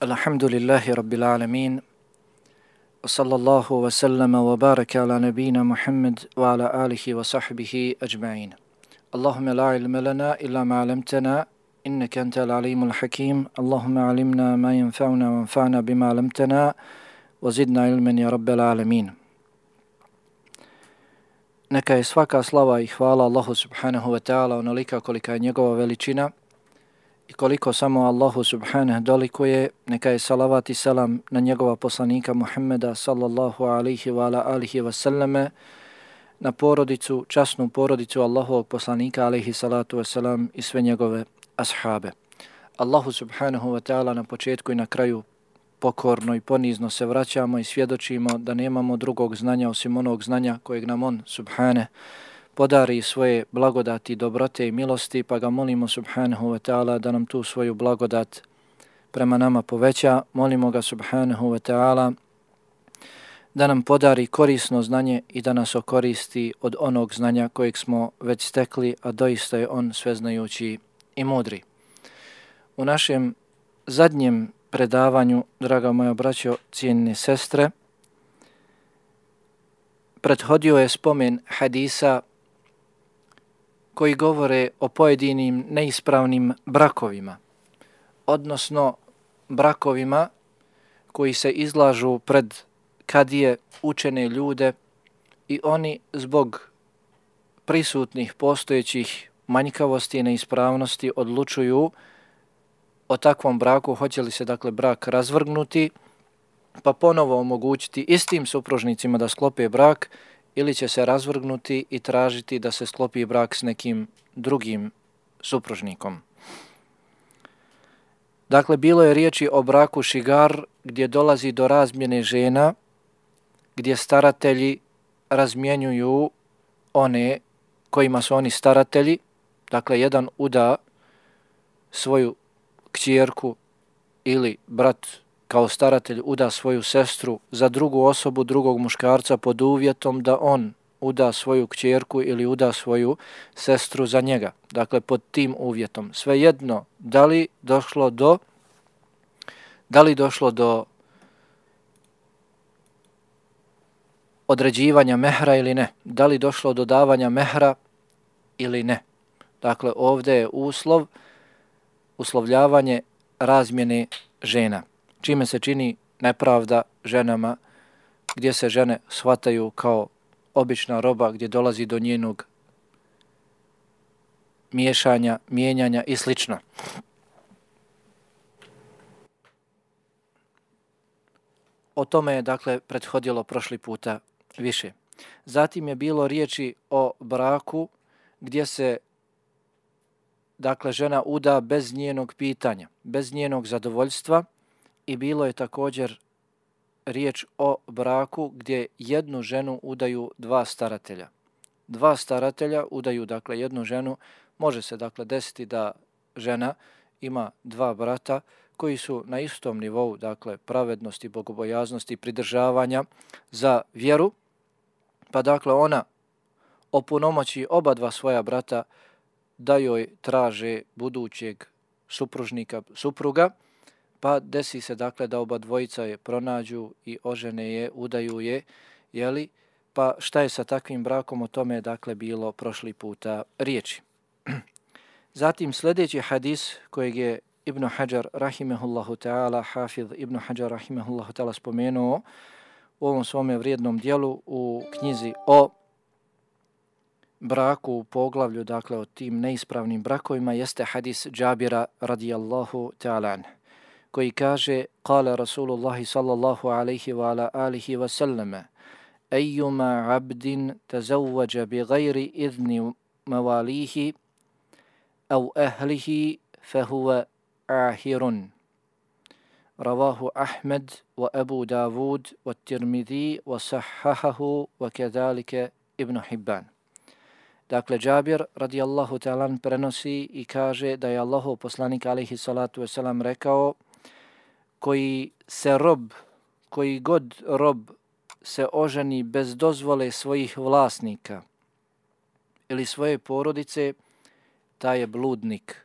Alhamdulillahi Rabbil Alamin. Wa sallallahu wa sallama wa baraka ala nabina Muhammad wa ala alihi wa sahbihi ajma'in. Allahumma la ilma lana illa ma 'allamtana innaka antal alimul hakim. Allahumma 'allimna ma yanfa'una wa anfa'na bima 'allamtana wa zidna ilman ya Rabbal alamin. Neka je svaka slava i hvala Allahu subhanahu wa ta'ala onolika kolika je njegova veličina i koliko samo Allahu subhanahu dolikuje. Neka je salavat i salam na njegova poslanika Muhammeda sallallahu alaihi wa ala alihi wa sallame, na porodicu, časnu porodicu Allahovog poslanika alaihi salatu wa salam i sve njegove ashabe. Allahu subhanahu wa ta'ala na početku i na kraju pokorno i ponizno se vraćamo i svjedočimo da nemamo drugog znanja osim onog znanja kojeg nam on subhane podari svoje blagodati, dobrote i milosti, pa ga molimo subhanahu wa ta'ala da nam tu svoju blagodat prema nama poveća. Molimo ga subhanahu wa ta'ala da nam podari korisno znanje i da nas okoristi od onog znanja kojeg smo već stekli, a doista je on sveznajući i mudri. U našem zadnjem predavanju, draga moja braćo, cijenine sestre, prethodio je spomen hadisa koji govore o pojedinim neispravnim brakovima, odnosno brakovima koji se izlažu pred kadije, učene ljude, i oni zbog prisutnih postojećih manjkavosti i neispravnosti odlučuju o takvom braku, hoće li se dakle brak razvrgnuti pa ponovo omogućiti istim supružnicima da sklope brak, ili će se razvrgnuti i tražiti da se sklopi brak s nekim drugim supružnikom. Dakle, bilo je riječi o braku šigar, gdje dolazi do razmjene žena, gdje staratelji razmjenjuju one kojima su oni staratelji. Dakle, jedan uda svoju kćerku ili brat kao staratelj uda svoju sestru za drugu osobu, drugog muškarca, pod uvjetom da on uda svoju kćerku ili uda svoju sestru za njega. Dakle, pod tim uvjetom. Svejedno, da li došlo do određivanja mehra ili ne, da li došlo do davanja mehra ili ne. Dakle, ovdje je uslovljavanje razmjene žena, čime se čini nepravda ženama, gdje se žene shvataju kao obična roba, gdje dolazi do njenog miješanja, mijenjanja i sl. O tome je dakle prethodilo prošli puta više. Zatim je bilo riječi o braku gdje se dakle žena uda bez njenog pitanja, bez njenog zadovoljstva, i bilo je također riječ o braku gdje jednu ženu udaju dva staratelja. Dva staratelja udaju dakle jednu ženu. Može se dakle desiti da žena ima dva brata koji su na istom nivou, dakle pravednosti, bogobojaznosti, pridržavanja za vjeru, pa dakle ona opunomoći oba dva svoja brata da joj traže budućeg supruga, pa desi se dakle da oba dvojica je pronađu i ožene je, udaju je, jeli? Pa šta je sa takvim brakom, o tome je dakle bilo prošli puta riječi. Zatim sljedeći hadis kojeg je Ibn Hajar rahimehullahu ta'ala, Hafiz Ibn Hajar rahimehullahu ta'ala spomenuo u ovom svome vrijednom dijelu u knjizi o braku, u poglavlju dakle o tim neispravnim brakovima, jeste hadis Džabira radijallahu ta'ala anhu, koji kaže: Kale Rasulullahi sallallahu alaihi wa ala alihi wa sallame: Ejuma abdin tazawwađa bi gajri idni mawalihi au ahlihi fahuwa ahirun. Ravahu Ahmed wa Abu Davud wa Tirmidhi wa sahahahu wa kedalike Ibn Hibban. Dakle, Džabir radijallahu ta'ala prenosi i kaže da je Allahov poslanik alaihi salatu wasalam rekao: koji god rob se oženi bez dozvole svojih vlasnika ili svoje porodice, taj je bludnik.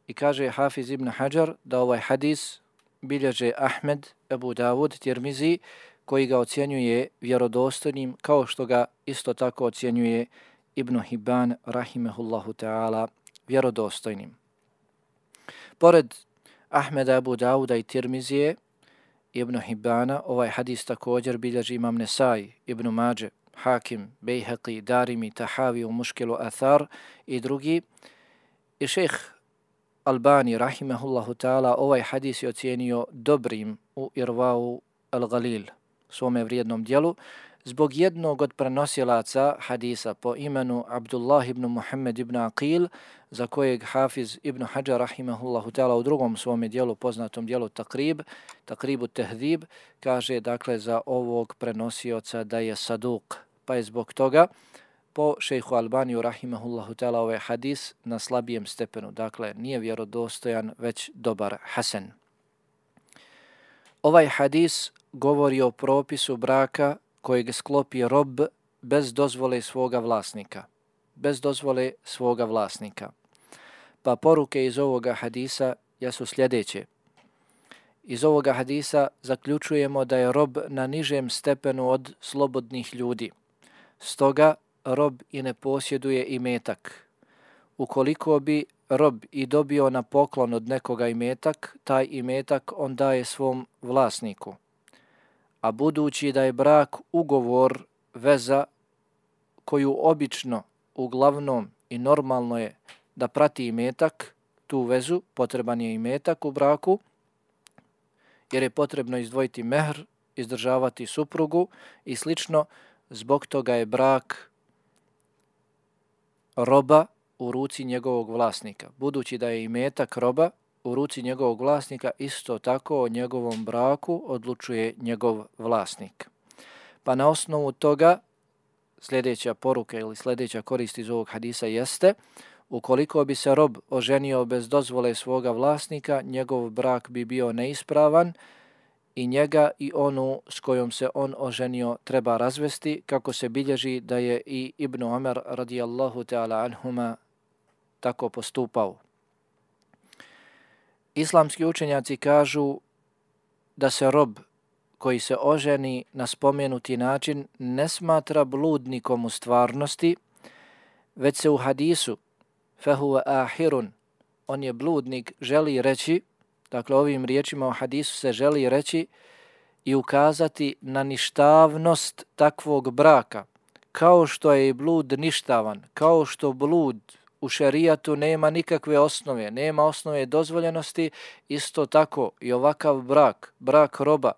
I kaže Hafiz ibn Hajar da ovaj hadis bilježe Ahmed, Ebu Davud, Tirmizi, koji ga ocjenjuje vjerodostojnim, kao što ga isto tako ocjenjuje Ibn Hibban, rahimehullahu ta'ala, vjerodostojnim. Pored Ahmeda, Ebu Davuda i Tirmizije, Ibn Hibbana, ovaj hadis također bilježi Imam Nesai, Ibn Mađe, Hakim, Bejheqi, Darimi, Tahavi u Muškilu Athar i drugi. I šejh Albani, rahimehullahu ta'ala, ovaj hadis je ocijenio dobrim u Irvau al-Galil, svome vrijednom dijelu, zbog jednog od prenosilaca hadisa po imenu Abdullah ibn Muhammed ibn Aqil, za kojeg Hafiz ibn Hajar, rahimehullahu ta'ala, u drugom svome dijelu, poznatom dijelu Takribu Tehdib, kaže dakle za ovog prenosioca da je saduk, pa je zbog toga po šejhu Albaniju, rahimehullahu ta'ala, ovaj hadis na slabijem stepenu. Dakle, nije vjerodostojan, već dobar, hasen. Ovaj hadis govori o propisu braka kojeg sklopi rob bez dozvole svoga vlasnika. Bez dozvole svoga vlasnika. Pa poruke iz ovoga hadisa jesu sljedeće. Iz ovoga hadisa zaključujemo da je rob na nižem stepenu od slobodnih ljudi. Stoga rob i ne posjeduje imetak. Ukoliko bi rob i dobio na poklon od nekoga imetak, taj imetak on daje svom vlasniku. A budući da je brak ugovor, veza koju obično, uglavnom i normalno je da prati imetak, tu vezu, potreban je imetak u braku, jer je potrebno izdvojiti mehr, izdržavati suprugu i slično, zbog toga je brak roba u ruci njegovog vlasnika. Budući da je imetak roba u ruci njegovog vlasnika, isto tako o njegovom braku odlučuje njegov vlasnik. Pa na osnovu toga sljedeća poruka ili sljedeća korist iz ovog hadisa jeste: ukoliko bi se rob oženio bez dozvole svoga vlasnika, njegov brak bi bio neispravan i njega i onu s kojom se on oženio treba razvesti, kako se bilježi da je i Ibn Omer radijallahu ta'ala anhuma tako postupao. Islamski učenjaci kažu da se rob koji se oženi na spomenuti način ne smatra bludnikom u stvarnosti, već se u hadisu fehuve ahirun, on je bludnik, želi reći, dakle ovim riječima u hadisu se želi reći i ukazati na ništavnost takvog braka, kao što je i blud ništavan, kao što blud u šerijatu nema nikakve osnove, nema osnove dozvoljenosti, isto tako i ovakav brak roba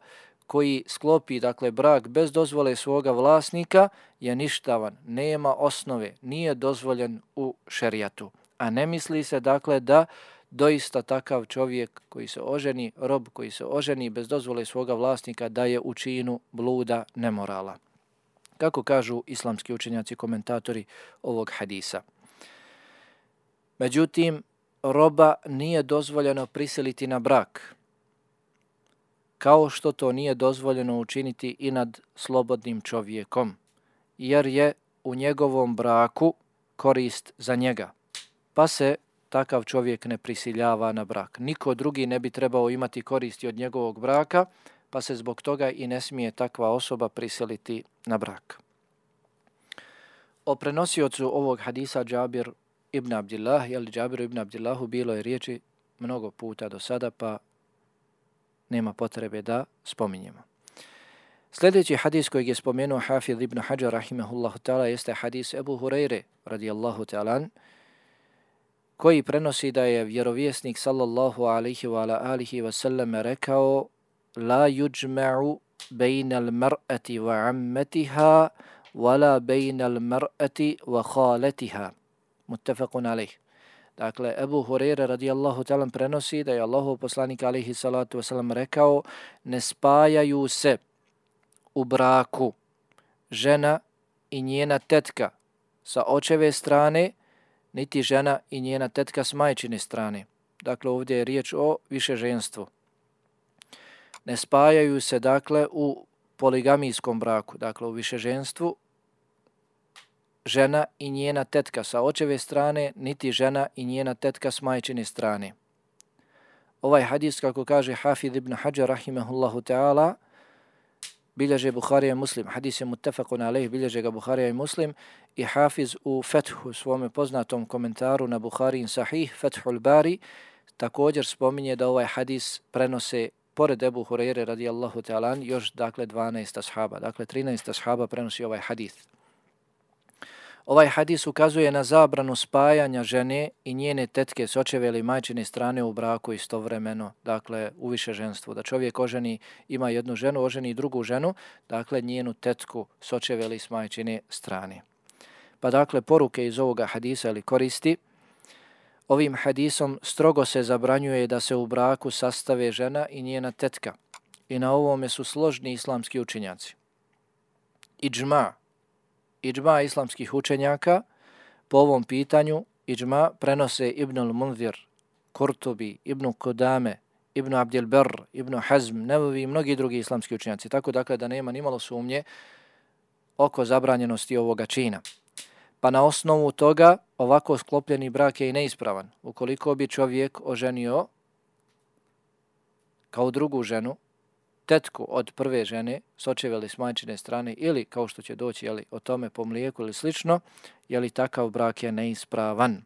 koji sklopi, dakle, brak bez dozvole svoga vlasnika je ništavan, nema osnove, nije dozvoljen u šerijatu. A ne misli se, dakle, da doista takav čovjek koji se oženi, rob koji se oženi bez dozvole svoga vlasnika, da je u činu bluda, nemorala. Kako kažu islamski učenjaci, komentatori ovog hadisa. Međutim, roba nije dozvoljeno prisiliti na brak, kao što to nije dozvoljeno učiniti i nad slobodnim čovjekom, jer je u njegovom braku korist za njega, pa se takav čovjek ne prisiljava na brak. Niko drugi ne bi trebao imati koristi od njegovog braka, pa se zbog toga i ne smije takva osoba prisiliti na brak. O prenosiocu ovog hadisa Džabir ibn Abdillah, ili Džabiru ibn Abdillahu, bilo je riječi mnogo puta do sada, pa nema potrebe da spominjemo. Sljedeći hadis kojeg je spomenuo Hafiz ibn Hajar, rahimehullahu ta'ala, jeste hadis Ebu Hureyre, radijallahu ta'ala, koji prenosi da je vjerovjesnik sallallahu alaihi wa alihi wa sallam rekao: la yujma'u bejna al-mar'ati wa ammatiha wala bejna al-mar'ati wa khalatiha. Muttafaqun alaih. Dakle, Ebu Hureyre radijallahu ta'ala prenosi da je Allahov poslanik alaihi salatu wasalam rekao: ne spajaju se u braku žena i njena tetka sa očeve strane, niti žena i njena tetka s majčine strane. Dakle, ovdje je riječ o višeženstvu. Ne spajaju se, dakle, u poligamijskom braku, dakle, u višeženstvu, žena i njena tetka sa očeve strane, niti žena i njena tetka s majčine strane. Ovaj hadis, kako kaže Hafid ibn Hajar rahimehullahu ta'ala, bilježe Buharija i Muslim. Hadis je muttafaqun alejh, bilježe ga Buharija i Muslim, i Hafiz u Fethu, svome poznatom komentaru na Buharijin Sahih, Fethul Bari, također spominje da ovaj hadis prenose pored Ebu Hurajre radijallahu ta'ala još dakle 12 ashaba. Dakle 13 ashaba prenosi ovaj hadis. Ovaj hadis ukazuje na zabranu spajanja žene i njene tetke s očeve ili majčine strane u braku istovremeno, dakle u višeženstvu. Da čovjek oženi, ima jednu ženu, oženi drugu ženu, dakle njenu tetku s očeve ili s majčine strane. Pa dakle poruke iz ovoga hadisa ili koristi, ovim hadisom strogo se zabranjuje da se u braku sastave žena i njena tetka. I na ovome su složni islamski učenjaci. Idžma islamskih učenjaka po ovom pitanju, idžma prenose Ibnul Munzir, Kurtubi, Ibn Kudame, Ibn Abdil Barr, Ibn Hazm, Nevevi i mnogi drugi islamski učenjaci. Tako dakle da nema nimalo sumnje oko zabranjenosti ovoga čina. Pa na osnovu toga ovako sklopljeni brak je i neispravan. Ukoliko bi čovjek oženio kao drugu ženu, tetku od prve žene, s očeve ili s majčine strane, ili kao što će doći o tome po mlijeku ili slično, takav brak je neispravan.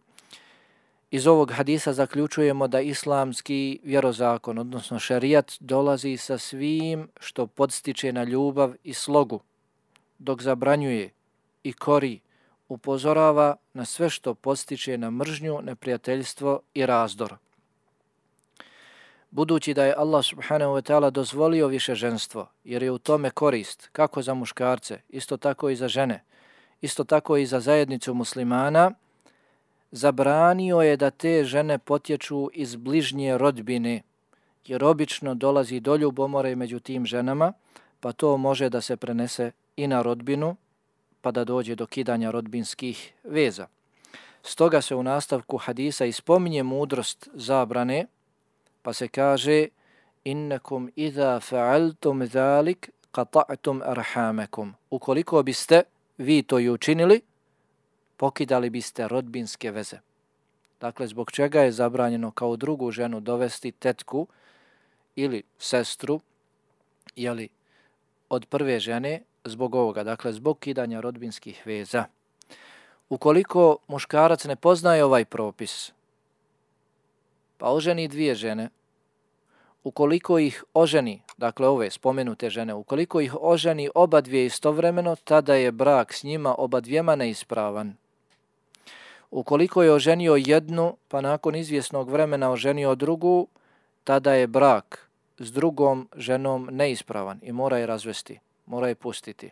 Iz ovog hadisa zaključujemo da islamski vjerozakon, odnosno šerijat, dolazi sa svim što podstiče na ljubav i slogu, dok zabranjuje i kori, upozorava na sve što podstiče na mržnju, neprijateljstvo i razdor. Budući da je Allah subhanahu wa ta'ala dozvolio višeženstvo, jer je u tome korist kako za muškarce, isto tako i za žene, isto tako i za zajednicu muslimana, zabranio je da te žene potječu iz bližnje rodbine, jer obično dolazi do ljubomore među tim ženama, pa to može da se prenese i na rodbinu, pa da dođe do kidanja rodbinskih veza. Stoga se u nastavku hadisa ispominje mudrost zabrane, pa se kaže innakum idha fa'altum zalik qata'tum arhamakum. Ukoliko biste vi to i učinili, pokidali biste rodbinske veze. Dakle, zbog čega je zabranjeno kao drugu ženu dovesti tetku ili sestru, od prve žene, zbog ovoga, dakle zbog kidanja rodbinskih veza. Ukoliko muškarac ne poznaje ovaj propis, pa oženi dvije žene, ukoliko ih oženi, dakle ove spomenute žene, ukoliko ih oženi oba dvije istovremeno, tada je brak s njima oba dvijema neispravan. Ukoliko je oženio jednu, pa nakon izvjesnog vremena oženio drugu, tada je brak s drugom ženom neispravan i mora je razvesti, mora je pustiti.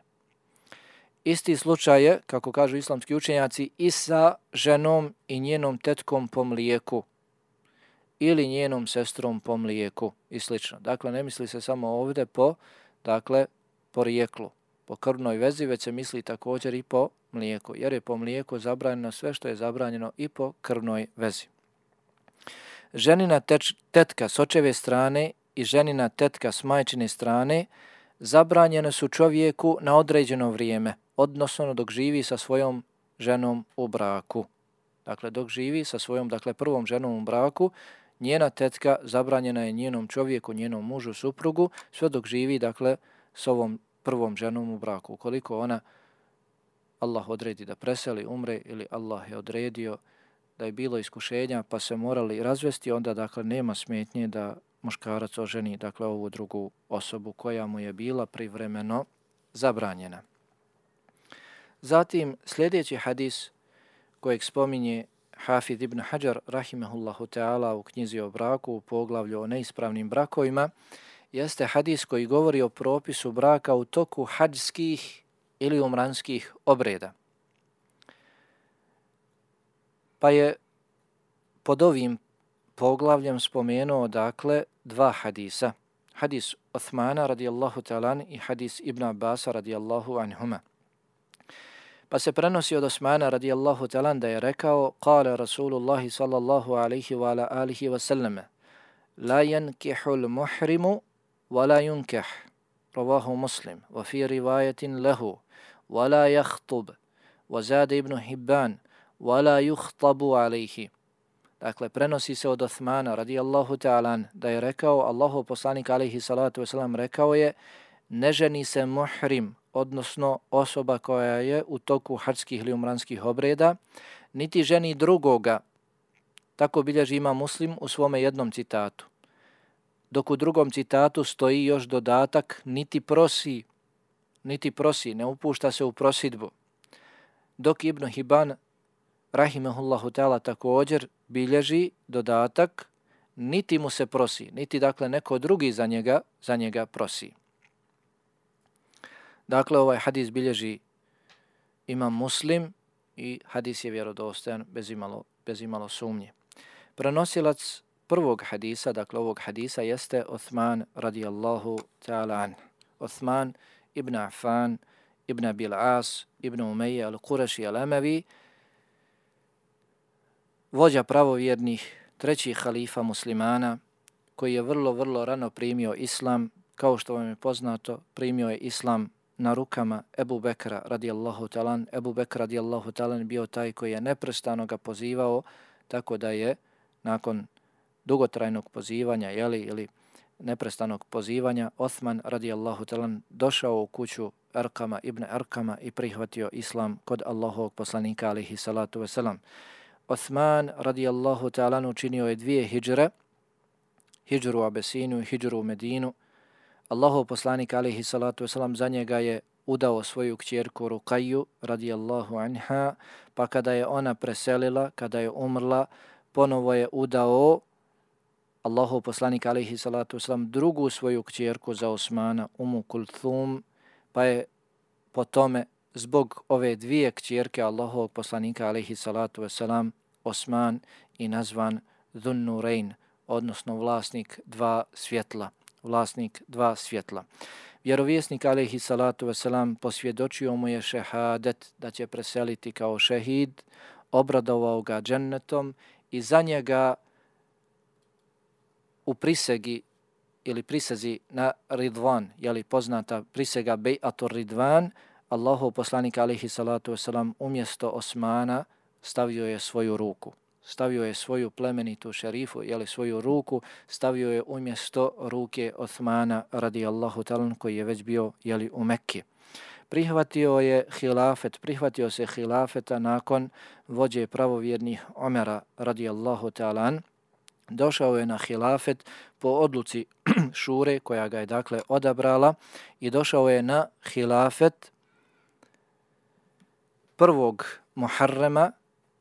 Isti slučaj je, kako kažu islamski učenjaci, i sa ženom i njenom tetkom po mlijeku ili njenom sestrom po mlijeku i slično. Dakle, ne misli se samo ovdje po porijeklu, po krvnoj vezi, već se misli također i po mlijeku, jer je po mlijeku zabranjeno sve što je zabranjeno i po krvnoj vezi. Ženina tetka s očeve strane i ženina tetka s majčine strane zabranjene su čovjeku na određeno vrijeme, odnosno dok živi sa svojom ženom u braku. Dakle, dok živi sa svojom, prvom ženom u braku, njena tetka zabranjena je njenom čovjeku, njenom mužu, suprugu, sve dok živi, s ovom prvom ženom u braku. Ukoliko ona, Allah odredi da preseli, umre, ili Allah je odredio da je bilo iskušenja pa se morali razvesti, onda, nema smetnje da muškarac oženi, ovu drugu osobu koja mu je bila privremeno zabranjena. Zatim, sljedeći hadis kojeg spominje Hafid ibn Hajar rahimehullahu ta'ala u knjizi o braku, u poglavlju o neispravnim brakovima, jeste hadis koji govori o propisu braka u toku hadžskih ili umranskih obreda. Pa je pod ovim poglavljem spomenuo, dva hadisa. Hadis Uthmana radijallahu ta'ala i hadis Ibn Abbasa radijallahu anhuma. Pa se prenosi od Osmana radijallahu ta'ala da je rekao: Kale Rasulullahi sallallahu alaihi wa ala alihi wa sallame, la yankihul muhrimu wa la yunkih, ravahu Muslim, wa fi rivajetin lehu, wa la yakhtub, wa zade Ibn Hibban, wa la yukhtabu alaihi. Dakle, prenosi se od Osmana radijallahu ta'ala da je rekao, Allahov poslanik alejhi salatu vesselam rekao je, ne ženi se muhrim, odnosno osoba koja je u toku hadžskih ili umranskih obreda, niti ženi drugoga. Tako bilježi Imam Muslim u svome jednom citatu. Dok u drugom citatu stoji još dodatak, niti prosi, ne upušta se u prosidbu. Dok Ibn Hibban, rahimehullahu ta'ala, također bilježi dodatak, niti mu se prosi, niti dakle neko drugi za njega prosi. Dakle, ovaj hadis bilježi Imam Muslim i hadis je vjerodostojan bez imalo sumnje. Prenosilac prvog hadisa, dakle ovog hadisa, jeste Osman radijallahu ta'ala an. Osman ibn Affan, ibn Abil As, ibn Umayya al-Qurashi al-Amavi, vođa pravovjernih, treći halifa muslimana, koji je vrlo rano primio islam. Kao što vam je poznato, primio je islam na rukama Ebu Bekra radijallahu talan. Ebu Bekr radijallahu talan bio taj koji je neprestano ga pozivao, tako da je nakon dugotrajnog pozivanja ili neprestanog pozivanja Osman radijallahu talan došao u kuću Arkama ibn Arkama i prihvatio islam kod Allahovog poslanika alejhi salatu vesselam. Osman radijallahu talan učinio je 2 hidžre, hidžru u Abesiniju i hidžru u Medinu. Allahov poslanik alejhi salatu vesselam za njega je udao svoju kćerku Rukaju radijallahu anha, pa kada je ona preselila, kada je umrla, ponovo je udao Allahov poslanik alejhi salatu vesselam drugu svoju kćerku za Osmana, Umu Kulthum, pa je po tome zbog ove 2 kćerke Allahovog poslanika alejhi salatu vesselam Osman i nazvan Dhun Nurayn, odnosno vlasnik 2 svjetla. Vjerovjesnik alejhi salatu vesselam posvjedočio mu je šehadet, da će preseliti kao šehid, obradovao ga džennetom i za njega u prisegi ili prisezi na Ridvan, poznata prisega Bej'atur Ridvan, Allahov poslanik alejhi salatu vesselam umjesto Osmana stavio je svoju ruku. Stavio je svoju plemenitu šerifu, svoju ruku, stavio je umjesto ruke Osmana radijallahu ta'ala, koji je već bio u Mekki. Prihvatio se hilafeta nakon vođe pravovjernih Omera radijallahu ta'ala. Došao je na hilafet po odluci šure koja ga je dakle odabrala i došao je na hilafet 1. Muharrema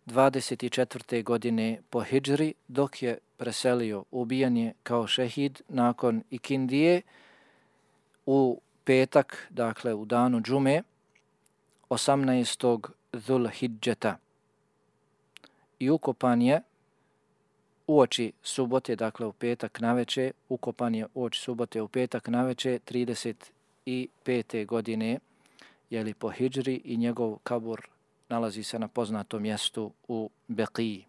24. godine po hidžri, dok je preselio, ubijen je kao šehid nakon ikindije u petak, dakle u danu džume, 18. Zulhidžeta. I ukopan je uoči subote, dakle u petak naveče, ukopan je uoči subote u petak naveče 35. godine, po hidžri, i njegov kabur nalazi se na poznatom mjestu u Beqiji.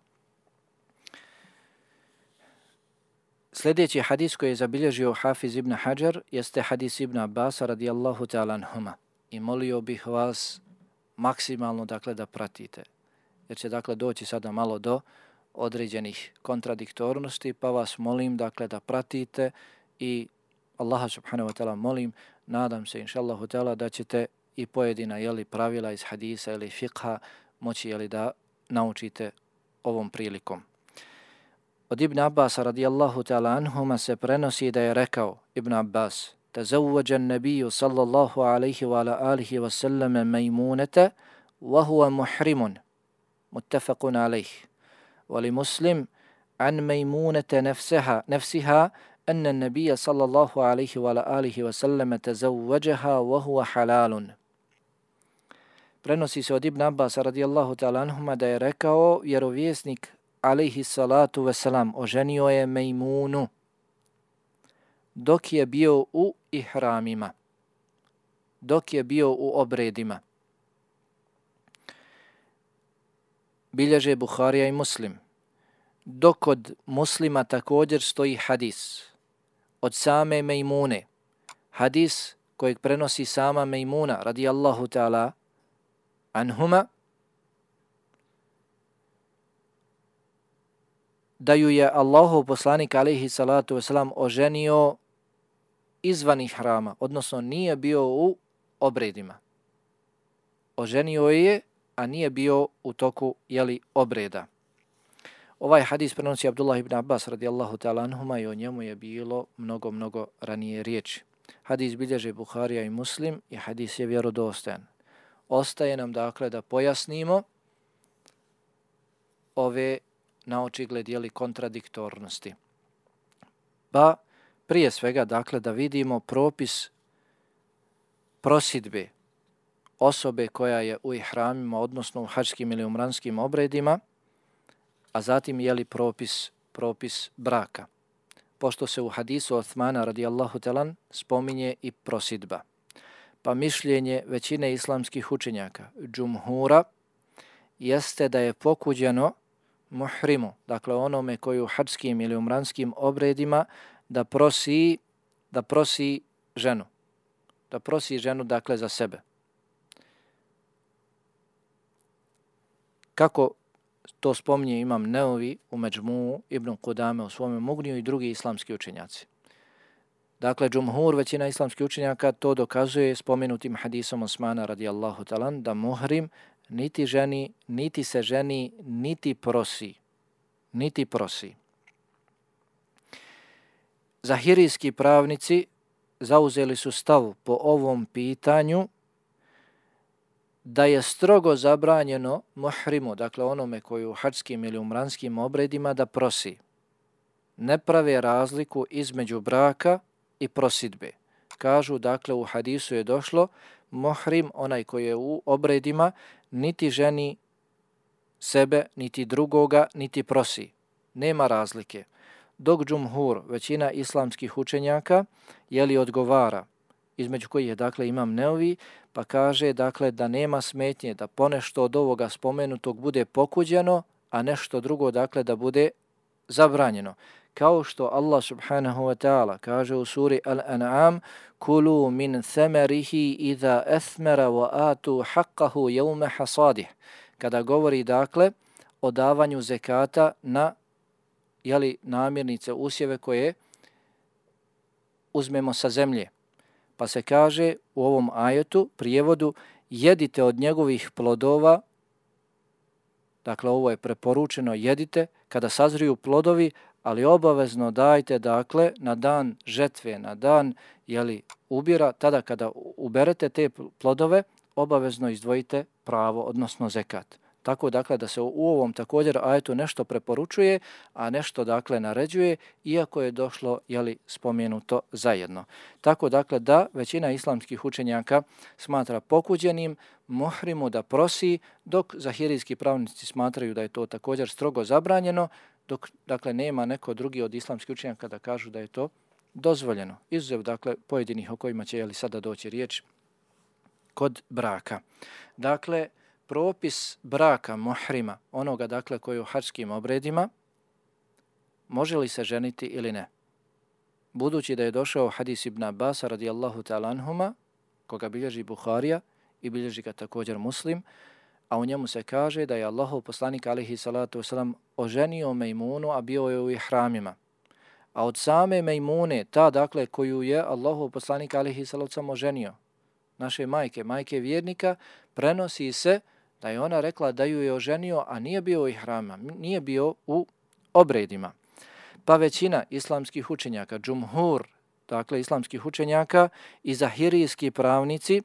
Sljedeći hadis koji je zabilježio Hafiz ibn Hajar jeste hadis Ibn Abbasa radijallahu ta'ala anhuma. I molio bih vas maksimalno da pratite, jer će doći sada malo do određenih kontradiktornosti, pa vas molim da pratite i Allaha subhanahu wa ta'ala molim, nadam se inšallahu ta'ala da ćete i pojedina pravila iz hadisa ili fiqha moći da naučite ovom prilikom. Od Ibn Abbasa radijallahu ta'ala anhuma se prenosi da je rekao Ibn Abbas: tazawwaja an-nabiyyu sallallahu alayhi wa ala alihi wa sallam Maymunata wa huwa muhrimun, muttafaqun alayh. Wa li Muslim an Maymunata nafsiha anna an-nabiyya sallallahu alayhi wa ala alihi wa sallam tazawwajaha wa huwa halalun. Prenosi se od Ibn Abbasa radijallahu ta'ala anhuma da je rekao vjerovjesnik alejhi salatu vesselam oženio je Mejmunu dok je bio u ihramima, dok je bio u obredima. Bilježe Buharija i Muslim. Dok kod Muslima također stoji hadis od same Mejmune, hadis kojeg prenosi sama Mejmuna radijallahu ta'ala anhuma, da ju je Allahov poslanik alejhi salatu vesselam oženio izvan ihrama, odnosno nije bio u obredima. Oženio je, a nije bio u toku obreda. Ovaj hadis prenosi Abdullah ibn Abbas radijallahu ta'ala anhuma i o njemu je bilo mnogo ranije riječi. Hadis bilježe Buharija i Muslim i hadis je vjerodostojan. Ostaje nam dakle da pojasnimo ove na očigled kontradiktornosti. Pa prije svega dakle da vidimo propis prosidbe osobe koja je u ihramima, odnosno u hadžskim ili umranskim obredima, a zatim propis braka. Pošto se u hadisu Osmana radijallahu talan spominje i prosidba. Pa mišljenje većine islamskih učenjaka, džumhura, jeste da je pokuđeno muhrimu, dakle onome koji u hadžskim ili umranskim obredima da prosi ženu. Da prosi ženu dakle za sebe. Kako to spominje Imam Neovi u Međmuu, Ibn Kudame u svome Mugniju i drugi islamski učenjaci. Dakle, džumhur, većina islamskih učenjaka, to dokazuje spomenutim hadisom Osmana radijallahu talan da muhrim niti ženi, niti se ženi, niti prosi. Zahirijski pravnici zauzeli su stav po ovom pitanju da je strogo zabranjeno muhrimu, dakle onome koji u hadžskim ili umranskim obredima da prosi. Ne prave razliku između braka i prosidbe. Kažu, dakle, u hadisu je došlo, muhrim, onaj koji je u obredima, niti ženi sebe, niti drugoga, niti prosi. Nema razlike. Dok džumhur, većina islamskih učenjaka, odgovara, između kojih je, dakle, Imam Neovi, pa kaže, dakle, da nema smetnje da ponešto od ovoga spomenutog bude pokuđeno, a nešto drugo, dakle, da bude zabranjeno. Kao što Allah subhanahu wa ta'ala kaže u suri Al-An'am, kulu min thamarihi idha athmara wa atu haqqahu yawma hasadih. Kada govori, dakle, o davanju zekata na namirnice, usjeve koje uzmemo sa zemlje. Pa se kaže u ovom ajetu, prijevodu, jedite od njegovih plodova, dakle ovo je preporučeno, jedite kada sazriju plodovi, ali obavezno dajte, dakle, na dan žetve, na dan ubira, tada kada uberete te plodove, obavezno izdvojite pravo, odnosno zekat. Tako, dakle, da se u ovom također ajetu nešto preporučuje, a nešto, dakle, naređuje, iako je došlo, spomenuto zajedno. Tako, dakle, da većina islamskih učenjaka smatra pokuđenim muhrimu da prosi, dok zahirijski pravnici smatraju da je to također strogo zabranjeno, dok, dakle, nema neko drugi od islamskih učenjaka da kažu da je to dozvoljeno. Izuzev, dakle, pojedinih o kojima će sada doći riječ kod braka. Dakle, propis braka muhrima, onoga, dakle, koji je u hadžskim obredima, može li se ženiti ili ne? Budući da je došao hadis Ibn Abbasa radijallahu ta'ala anhuma, koga bilježi Buharija i bilježi ga također Muslim, a u njemu se kaže da je Allahov poslanik alejhi salatu vesselam oženio Mejmunu, a bio je u ihramima. A od same Mejmune, ta, dakle, koju je Allahov poslanik alejhi salatu vesselam oženio, naše majke vjernika, prenosi se da je ona rekla da ju je oženio, a nije bio u ihramima, nije bio u obredima. Pa većina islamskih učenjaka, džumhur, dakle, islamskih učenjaka i zahirijski pravnici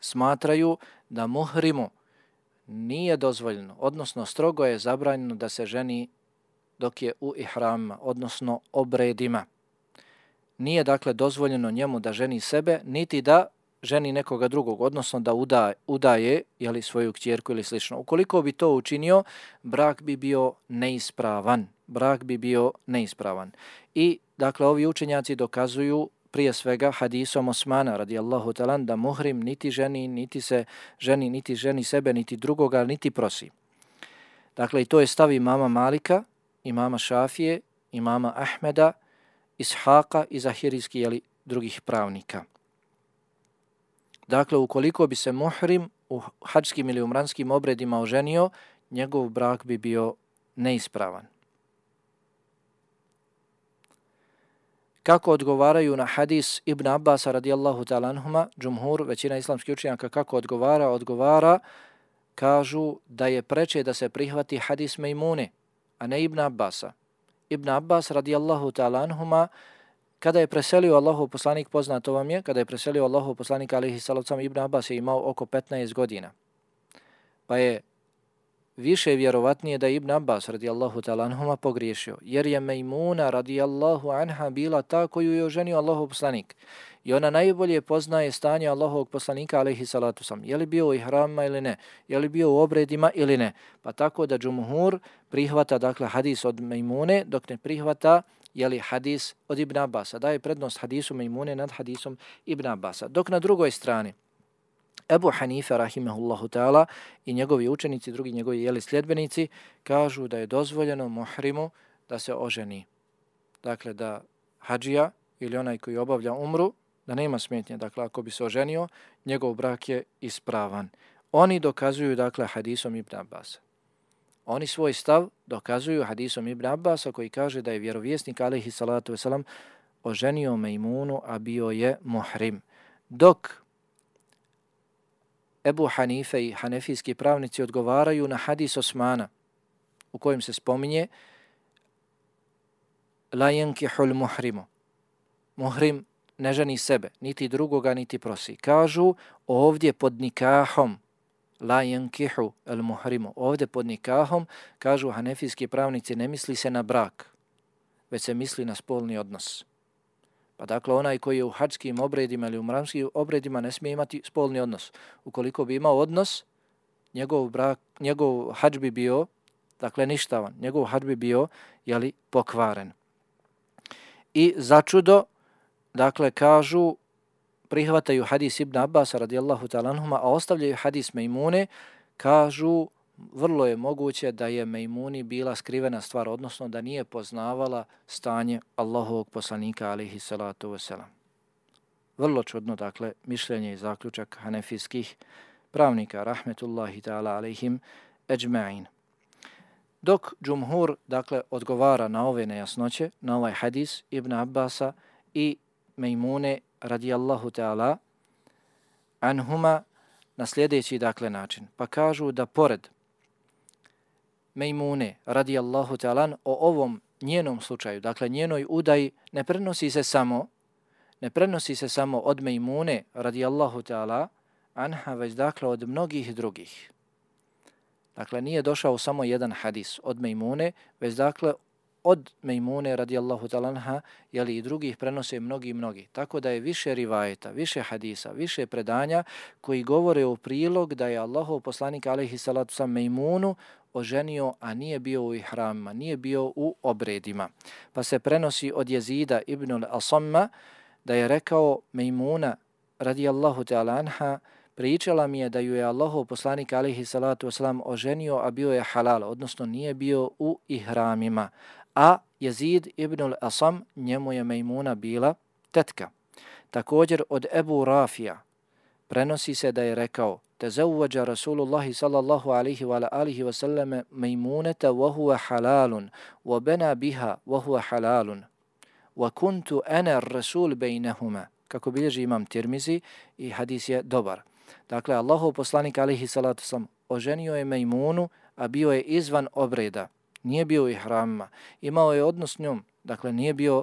smatraju da muhrimu nije dozvoljeno, odnosno strogo je zabranjeno da se ženi dok je u ihramima, odnosno obredima. Nije, dakle, dozvoljeno njemu da ženi sebe, niti da ženi nekoga drugog, odnosno da udaje svoju kćerku ili slično. Ukoliko bi to učinio, brak bi bio neispravan. I, dakle, ovi učenjaci dokazuju prije svega hadisom Osmana radijallahu ta'ala da muhrim niti ženi, niti se ženi, niti ženi sebe, niti drugoga, niti prosi. Dakle, i to je stav imama Malika, imama Šafije, imama Ahmeda, Ishaqa i zahirijskih drugih pravnika. Dakle, ukoliko bi se muhrim u hadžskim ili umranskim obredima oženio, njegov brak bi bio neispravan. Kako odgovaraju na hadis Ibn Abbasa radijallahu ta'ala anhuma, džumhur, većina islamskih učenjaka kako odgovara, kažu da je preče da se prihvati hadis Mejmune, a ne Ibn Abbasa. Ibn Abbas radijallahu ta'ala anhuma, kada je preselio Allahov poslanik, poznato vam je, kada je preselio Allahov poslanik alejhi salatu vesselam, Ibn Abbas je imao oko 15 godina. Pa je više vjerovatnije da je Ibn Abbas radijallahu ta'ala anhuma pogriješio, jer je Mejmuna radijallahu anha bila ta koju je oženio Allahov poslanik. I ona najbolje poznaje stanje Allahovog poslanika alejhi salatu vesselam. Je li bio u ihramima ili ne? Je li bio u obredima ili ne? Pa tako da džumhur prihvata dakle hadis od Mejmune, dok ne prihvata hadis od Ibn Abbasa. Daje prednost hadisu Mejmune nad hadisom Ibn Abbasa. Dok na drugoj strani Ebu Hanife rahimehullahu ta'ala i njegovi učenici, drugi njegovi sljedbenici, kažu da je dozvoljeno muhrimu da se oženi. Dakle, da hadžija ili onaj koji obavlja umru, da nema smetnje. Dakle, ako bi se oženio, njegov brak je ispravan. Oni dokazuju, dakle, hadisom Ibn Abbasa. Oni svoj stav dokazuju hadisom Ibn Abbasa koji kaže da je vjerovjesnik alejhi salatu vesselam oženio Mejmunu, a bio je muhrim. Dok Ebu Hanife i hanefijski pravnici odgovaraju na hadis Osmana u kojem se spominje la yankihul muhrimu. Muhrim ne ženi sebe, niti drugoga, niti prosi. Kažu ovdje pod nikahom, la yankihu al muhrimu, ovdje pod nikahom, kažu hanefijski pravnici, ne misli se na brak, već se misli na spolni odnos. Pa dakle, onaj koji je u hadžskim obredima ili u mramskim obredima ne smije imati spolni odnos. Ukoliko bi imao odnos, njegov hadž bi bio, dakle, ništavan. Njegov hadž bi bio, pokvaren. I začudo, dakle, kažu, prihvataju hadis Ibn Abbasa radijallahu ta'ala anhuma, a ostavljaju hadis Mejmune, kažu, vrlo je moguće da je Mejmuni bila skrivena stvar, odnosno da nije poznavala stanje Allahovog poslanika alejhi salatu vesselam. Vrlo čudno, dakle, mišljenje i zaključak hanefijskih pravnika, rahmetullahi ta'ala alejhim ejma'in. Dok džumhur, dakle, odgovara na ove nejasnoće, na ovaj hadis Ibn Abbasa i Mejmune radijallahu ta'ala anhuma na sljedeći, dakle, način. Pa kažu da pored Mejmune radijallahu ta'ala o ovom njenom slučaju, dakle njenoj udaji, ne prenosi se samo od Mejmune radijallahu ta'ala anha, već dakle od mnogih drugih. Dakle, nije došao samo jedan hadis od Mejmune, već dakle od Mejmune radijallahu ta'ala anha, i drugih prenose mnogi. Tako da je više rivajeta, više hadisa, više predanja koji govore u prilog da je Allahov poslanik alejhi salatu vesselam Mejmunu oženio, a nije bio u ihramima, nije bio u obredima. Pa se prenosi od Jezida ibn al-Asamma da je rekao Mejmuna radijallahu ta'ala anha, pričala mi je da ju je Allahov poslanik alejhi salatu vesselam oženio, a bio je halal, odnosno nije bio u ihramima. A Jezid ibn al-Asam, njemu je Mejmuna bila tetka. Također od Ebu Rafija prenosi se da je rekao tezawwaja Rasulullahi sallallahu alaihi wa alihi wa sallam Mejmuneta wa huwa halalun wa bena biha wa huwa halalun wa kuntu ana rasul bejnehuma, kako bilježi imam Tirmizi i hadis je dobar. Dakle, Allahov poslanik alaihi salatu sallam oženio je Mejmunu, a bio je izvan obreda. Nije bio u ihramima, imao je odnos s njom, dakle nije bio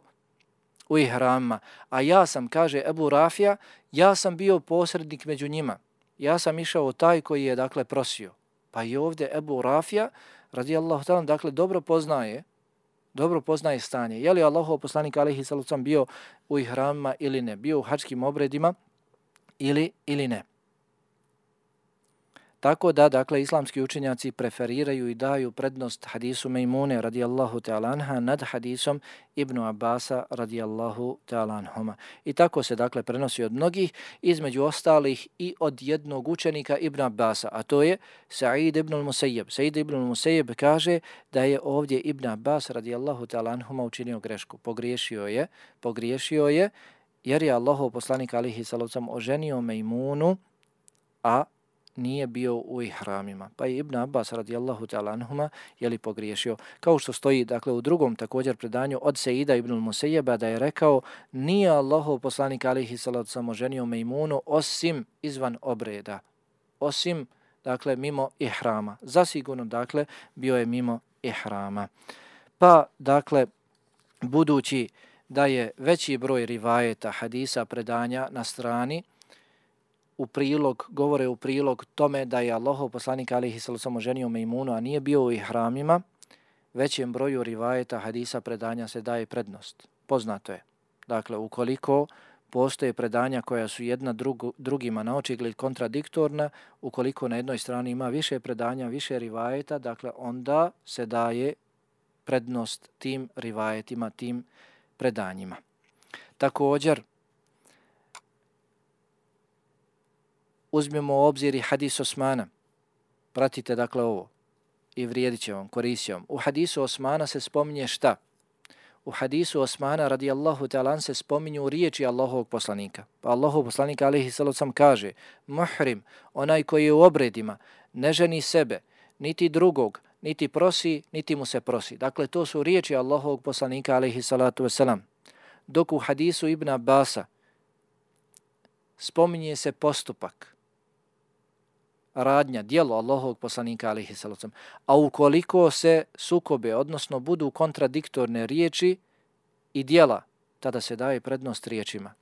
u ihramima. A ja sam, kaže Ebu Rafija, ja sam bio posrednik među njima. Ja sam išao taj koji je, dakle, prosio. Pa i ovdje Ebu Rafija, radijallahu ta'ala, dakle, dobro poznaje stanje. Je li Allahov poslanik alejhi salatu vesselam bio u ihramima ili ne, bio u hadžskim obredima ili ne. Tako da, dakle, islamski učenjaci preferiraju i daju prednost hadisu Mejmune radijallahu ta'ala anha nad hadisom Ibnu Abbasa radijallahu ta'ala anhuma. I tako se, dakle, prenosi od mnogih, između ostalih i od jednog učenika Ibn Abbasa, a to je Sa'id ibn al-Musayyib. Sa'id ibn al-Musayyib kaže da je ovdje Ibn Abbas radijallahu ta'ala anhuma učinio grešku. Pogriješio je jer je Allahov poslanik alejhi salatu vesselam oženio Mejmunu, a nije bio u ihramima. Pa je Ibn Abbas radijallahu ta'ala anhuma pogriješio. Kao što stoji dakle u drugom također predanju od Seida ibn Musejeba da je rekao nije Allahov poslanik alejhi salatu samo ženio Mejmunu osim izvan obreda. Osim dakle mimo ihrama. Zasigurno dakle bio je mimo ihrama. Pa dakle budući da je veći broj rivajeta, hadisa, predanja na strani govore u prilog tome da je Allahov poslanik alejhi salatu samo ženio Mejmunu, a nije bio u ihramima, većem broju rivajeta, hadisa, predanja se daje prednost. Poznato je. Dakle, ukoliko postoje predanja koja su jedna drugima na očigled kontradiktorna, ukoliko na jednoj strani ima više predanja, više rivajeta, dakle onda se daje prednost tim rivajetima, tim predanjima. Također, uzmemo u obzir i hadis Osmana. Pratite dakle ovo i vrijedit će vam, koristit će vam. U hadisu Osmana se spominje šta? U hadisu Osmana radijallahu ta'ala se spominju riječi Allahovog poslanika. Pa Allahov poslanik alejhi salatu vesselam kaže: muhrim, onaj koji je u obredima, ne ženi sebe, niti drugog, niti prosi, niti mu se prosi. Dakle, to su riječi Allahovog poslanika alejhi salatu vesselam. Dok u hadisu Ibn Abbasa spominje se postupak, radnja, djelo Allahovog poslanika alejhi salatu vesselam. A ukoliko se sukobe, odnosno budu kontradiktorne riječi i djela, tada se daje prednost riječima.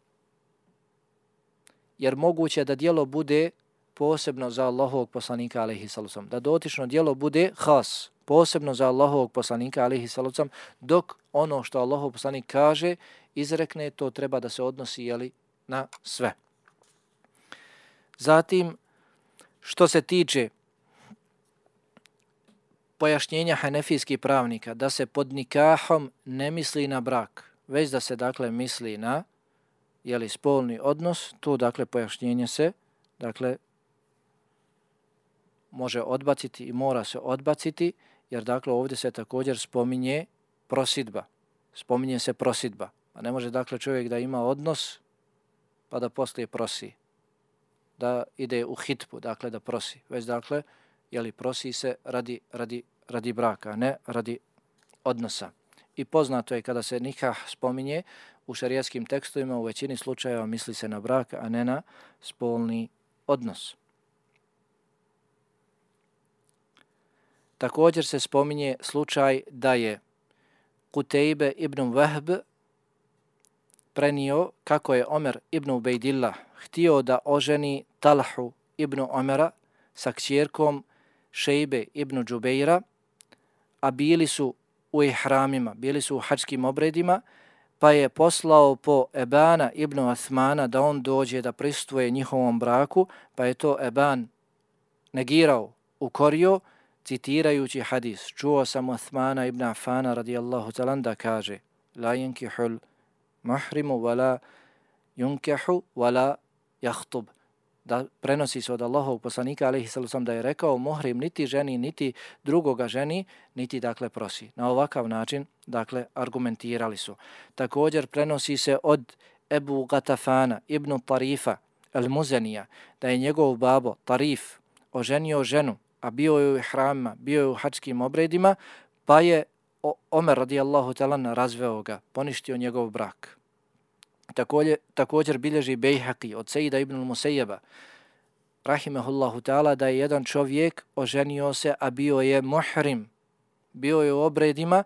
Jer moguće da djelo bude posebno za Allahovog poslanika alejhi salatu vesselam, da dotično djelo bude has, posebno za Allahovog poslanika alejhi salatu vesselam, dok ono što Allahov poslanik kaže, izrekne, to treba da se odnosi na sve. Zatim, što se tiče pojašnjenja hanefijskih pravnika da se pod nikahom ne misli na brak, već da se dakle misli na spolni odnos, to dakle pojašnjenje se dakle može odbaciti i mora se odbaciti, jer dakle ovdje se također spominje prosidba. Spominje se prosidba. A ne može dakle čovjek da ima odnos pa da poslije prosi, da ide u hitbu, dakle da prosi, već dakle prosi se radi braka, ne radi odnosa. I poznato je kada se nikah spominje u šerijskim tekstovima, u većini slučajeva misli se na brak, a ne na spolni odnos. Također se spominje slučaj da je Kutejbe ibn Vahb prenio kako je Omer ibn Ubejdillah htio da oženi Talhu ibn Omera sa kćerkom Šejbe ibn Džubejra, a bili su u ihramima, bili su u hadžskim obredima, pa je poslao po Ebana ibn Uthmana da on dođe da prisustvuje njihovom braku, pa je to Eban negirao, ukorio, citirajući hadis. Čuo sam Uthmana ibn Affana radijallahu ta'ala da kaže: la yankihul muhrimu wala yunkahu wala yahtub. Da prenosi se od Allahovog poslanika alejhi salatu vesselam da je rekao: muhrim niti ženi, niti drugoga ženi, niti dakle prosi. Na ovakav način dakle argumentirali su. Također prenosi se od Ebu Gatafana ibn Tarifa al-Muzanija da je njegov babo Tarif oženio ženu, a bio je u ihramima, bio je u hadžskim obredima, pa je Omer radijallahu ta'ala razveo ga, poništio njegov brak. Također bilježi Bejhaqi od Sejida ibn Musejeba rahimehullahu ta'ala da je jedan čovjek oženio se, a bio je muhrim, bio je u obredima,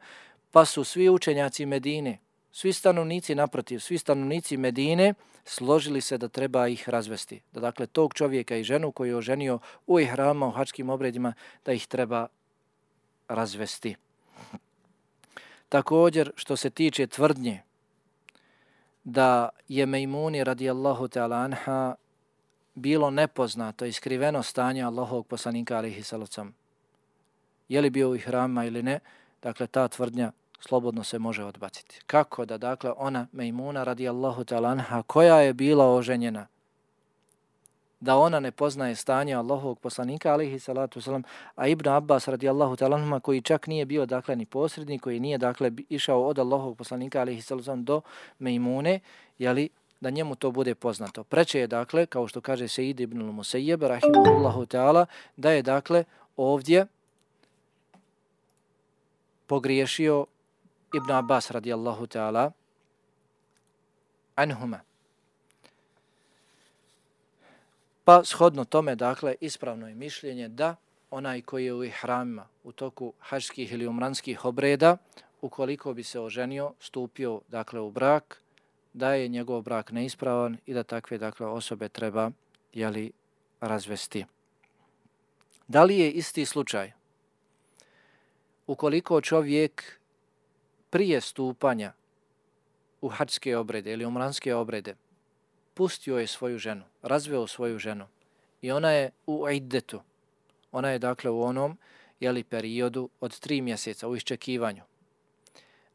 pa su svi učenjaci Medine, svi stanovnici Medine složili se da treba ih razvesti. Da dakle tog čovjeka i ženu koju je oženio u ihrama, u hadžskim obredima, da ih treba razvesti. Također, što se tiče tvrdnje da je Mejmuni radijallahu ta'ala anha bilo nepoznato i skriveno stanje Allahovog poslanika alejhi salatu vesselam, je li bio u ihramima ili ne, dakle ta tvrdnja slobodno se može odbaciti. Kako da dakle ona Mejmuna radijallahu ta'ala anha koja je bila oženjena, da ona ne poznaje stanje Allahovog poslanika alejhi salatu vesselam, a Ibn Abbas radijallahu ta'ala anhuma koji čak nije bio dakle ni posrednik, koji nije dakle išao od Allahovog poslanika alejhi salatu vesselam do Mejmune, da njemu to bude poznato. Preče je, dakle, kao što kaže Sejid ibn al-Musayyib, rahimahullahu ta'ala, da je, dakle, ovdje pogriješio Ibn Abbas radijallahu ta'ala anhuma. Pa shodno tome, dakle, ispravno je mišljenje da onaj koji je u ihramima u toku hađskih ili umranskih obreda, ukoliko bi se oženio, stupio, dakle, u brak, da je njegov brak neispravan i da takve, dakle, osobe treba, razvesti. Da li je isti slučaj ukoliko čovjek prije stupanja u hađske obrede ili umranske obrede pustio je svoju ženu, razveo svoju ženu i ona je u iddetu, ona je, dakle, u onom, periodu od 3 mjeseca u iščekivanju.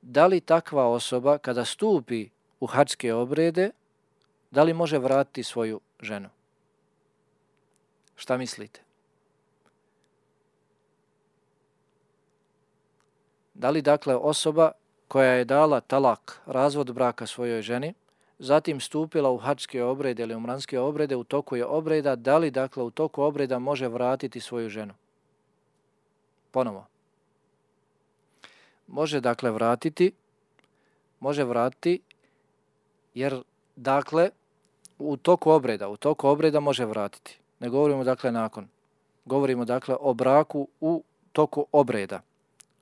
Da li takva osoba kada stupi u hađske obrede, da li može vratiti svoju ženu? Šta mislite? Da li, dakle, osoba koja je dala talak, razvod braka svojoj ženi, zatim stupila u hađske obrede ili umranske obrede, u toku je obreda, da li, dakle, u toku obreda može vratiti svoju ženu? Ponovo. Može, dakle, vratiti jer, dakle, u toku obreda može vratiti. Ne govorimo, dakle, nakon. Govorimo, dakle, o braku u toku obreda.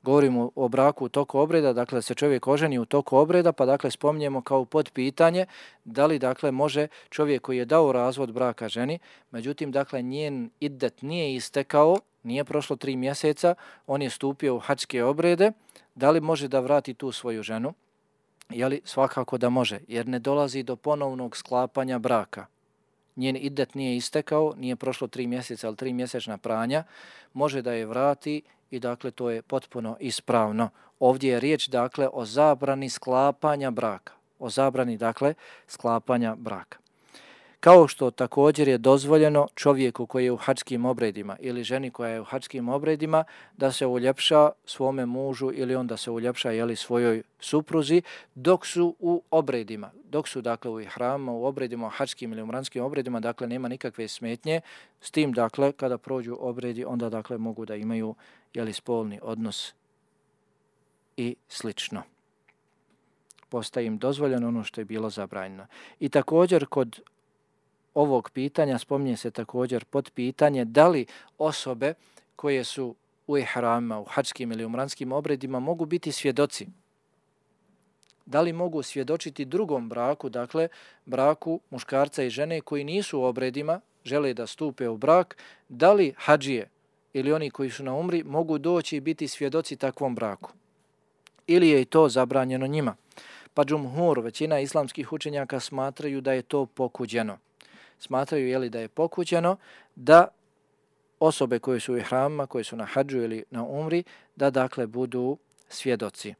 Govorimo o braku u toku obreda, dakle, da se čovjek oženi u toku obreda, pa, dakle, spominjemo kao podpitanje da li, dakle, može čovjek koji je dao razvod braka ženi, međutim, dakle, njen iddet nije istekao, nije prošlo 3 mjeseca, on je stupio u hađske obrede, da li može da vrati tu svoju ženu? Svakako da može, jer ne dolazi do ponovnog sklapanja braka. Njen iddet nije istekao, nije prošlo 3 mjeseca, ali 3 mjesečna pranja, može da je vrati i, dakle, to je potpuno ispravno. Ovdje je riječ, dakle, o zabrani sklapanja braka. O zabrani, dakle, sklapanja braka. Kao što također je dozvoljeno čovjeku koji je u hađskim obredima ili ženi koja je u hađskim obredima da se uljepša svome mužu ili on da se uljepša, svojoj supruzi dok su u obredima. Dok su, dakle, u ihramima, u obredima, u hađskim ili umranskim obredima, dakle, nema nikakve smetnje. S tim, dakle, kada prođu obredi, onda, dakle, mogu da imaju, spolni odnos i slično. Postaje im dozvoljeno ono što je bilo zabranjeno. I također kod ovog pitanja spominje se također podpitanje da li osobe koje su u ihramima, u hađskim ili umranskim obredima mogu biti svjedoci. Da li mogu svjedočiti drugom braku, dakle braku muškarca i žene koji nisu u obredima, žele da stupe u brak, da li hadžije ili oni koji su na umri mogu doći i biti svjedoci takvom braku? Ili je i to zabranjeno njima? Pa džumhur, većina islamskih učenjaka smatraju da je to pokuđeno. Smatraju, da je pokuđeno da osobe koje su u ihramima, koje su na hadžu ili na umri, da, dakle, budu svjedoci.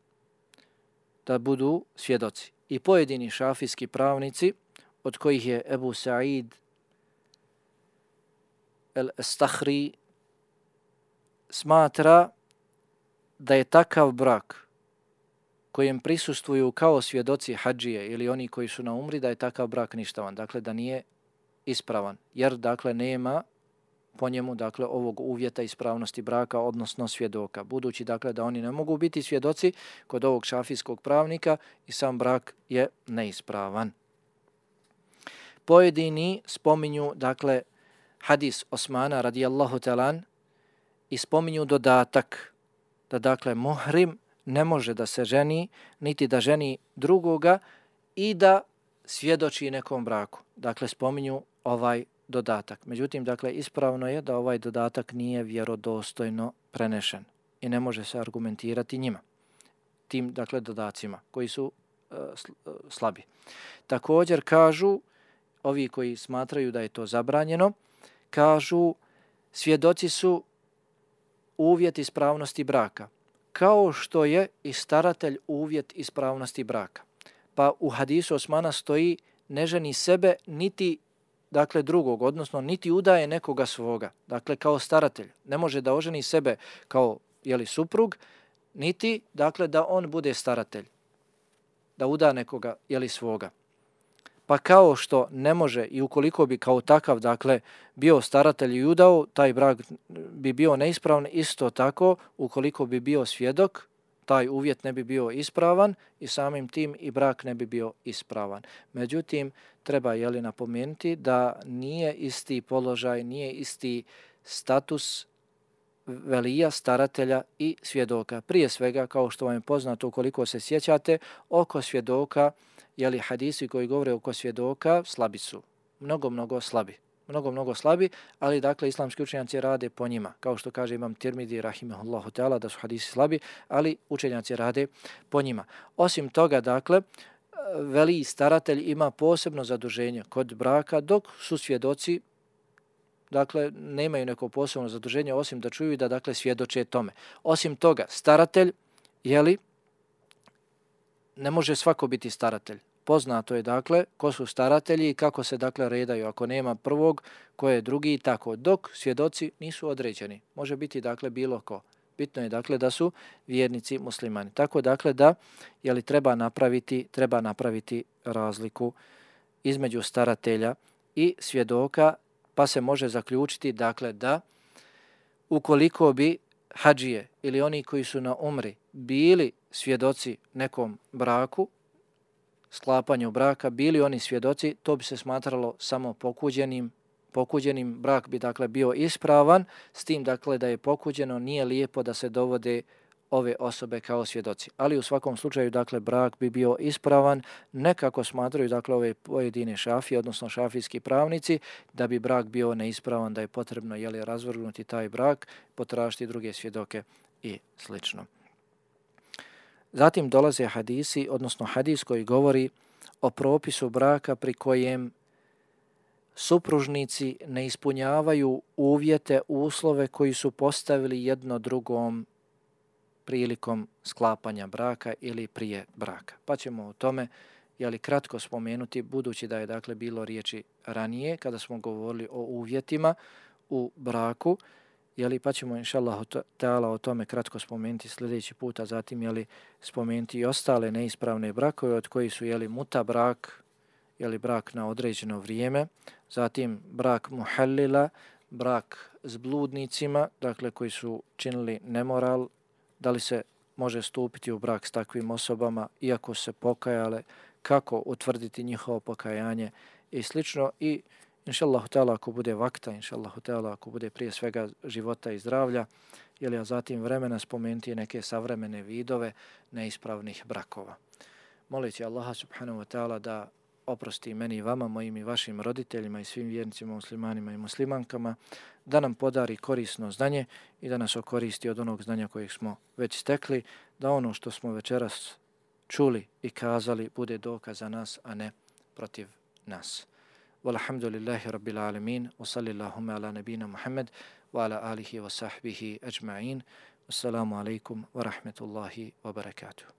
Da budu svjedoci. I pojedini šafijski pravnici, od kojih je Ebu Sa'id el-Stahri, smatra da je takav brak kojem prisustvuju kao svjedoci hadžije ili oni koji su na umri, da je takav brak ništavan. Dakle, da nije ispravan, jer, dakle, nema po njemu, dakle, ovog uvjeta ispravnosti braka, odnosno svjedoka. Budući, dakle, da oni ne mogu biti svjedoci kod ovog šafijskog pravnika i sam brak je neispravan. Pojedini spominju, dakle, hadis Osmana radijallahu talan i spominju dodatak da, dakle, muhrim ne može da se ženi, niti da ženi drugoga i da svjedoči nekom braku. Dakle, spominju ovaj dodatak. Međutim, dakle, ispravno je da ovaj dodatak nije vjerodostojno prenešen i ne može se argumentirati njima, tim, dakle, dodacima koji su slabi. Također kažu, ovi koji smatraju da je to zabranjeno, kažu svjedoci su uvjet ispravnosti braka, kao što je i staratelj uvjet ispravnosti braka. Pa u hadisu Osmana stoji ne ženi sebe niti, dakle, drugog, odnosno niti udaje nekoga svoga, dakle, kao staratelj. Ne može da oženi sebe kao, suprug, niti, dakle, da on bude staratelj, da uda nekoga, svoga. Pa kao što ne može i ukoliko bi kao takav, dakle, bio staratelj i udao, taj brak bi bio neispravan, isto tako, ukoliko bi bio svjedok, taj uvjet ne bi bio ispravan i samim tim i brak ne bi bio ispravan. Međutim, treba napomenuti da nije isti položaj, nije isti status velija, staratelja i svjedoka. Prije svega, kao što vam je poznato, ukoliko se sjećate, oko svjedoka, hadisi koji govore oko svjedoka, slabi su. Mnogo slabi, ali dakle islamski učenjaci rade po njima. Kao što kaže Imam Tirmidi, rahimahullahu ta'ala, da su hadisi slabi, ali učenjaci rade po njima. Osim toga, dakle, veliji staratelj ima posebno zaduženje kod braka, dok su svjedoci, dakle, nemaju neko posebno zaduženje, osim da čuju da, dakle, svjedoče tome. Osim toga, staratelj, ne može svako biti staratelj. Poznato je, dakle, ko su staratelji i kako se, dakle, redaju. Ako nema prvog, ko je drugi i tako. Dok svjedoci nisu određeni. Može biti, dakle, bilo ko. Bitno je, dakle, da su vjernici muslimani. Tako, dakle, da treba napraviti razliku između staratelja i svjedoka, pa se može zaključiti, dakle, da ukoliko bi hadžije ili oni koji su na umri bili svjedoci nekom braku, sklapanju braka, bili oni svjedoci, to bi se smatralo samo pokuđenim, brak bi, dakle, bio ispravan, s tim, dakle, da je pokuđeno, nije lijepo da se dovode ove osobe kao svjedoci. Ali u svakom slučaju, dakle, brak bi bio ispravan, nekako smatraju, dakle, ove pojedine šafije, odnosno šafijski pravnici, da bi brak bio neispravan, da je potrebno, razvrgnuti taj brak, potražiti druge svjedoke i slično. Zatim dolaze hadisi, odnosno hadis koji govori o propisu braka pri kojem supružnici ne ispunjavaju uvjete, uslove koji su postavili jedno drugom prilikom sklapanja braka ili prije braka. Pa ćemo o tome kratko spomenuti, budući da je, dakle, bilo riječi ranije kada smo govorili o uvjetima u braku, pa ćemo inšallahu ta'ala o tome kratko spomenuti sljedeći puta, zatim spomenuti i ostale neispravne brakove od kojih su muta brak, brak na određeno vrijeme, zatim brak muhallila, brak s bludnicima, dakle koji su činili nemoral, da li se može stupiti u brak s takvim osobama iako se pokajale, kako utvrditi njihovo pokajanje i slično. I inšallahu ta'ala ako bude vakta, inšallahu ta'ala ako bude prije svega života i zdravlja, a zatim vremena spomenuti neke savremene vidove neispravnih brakova. Moleći Allaha subhanahu wa ta'ala da oprosti meni i vama, mojim i vašim roditeljima i svim vjernicima, muslimanima i muslimankama, da nam podari korisno znanje i da nas okoristi od onog znanja kojeg smo već stekli, da ono što smo večeras čuli i kazali bude dokaz za nas, a ne protiv nas. Walhamdulillahi rabbil alamin, wa sallillahumma ala nabina Muhammad, wa ala alihi wa sahbihi ajma'in. Wassalamu alaikum wa rahmetullahi wa barakatuh.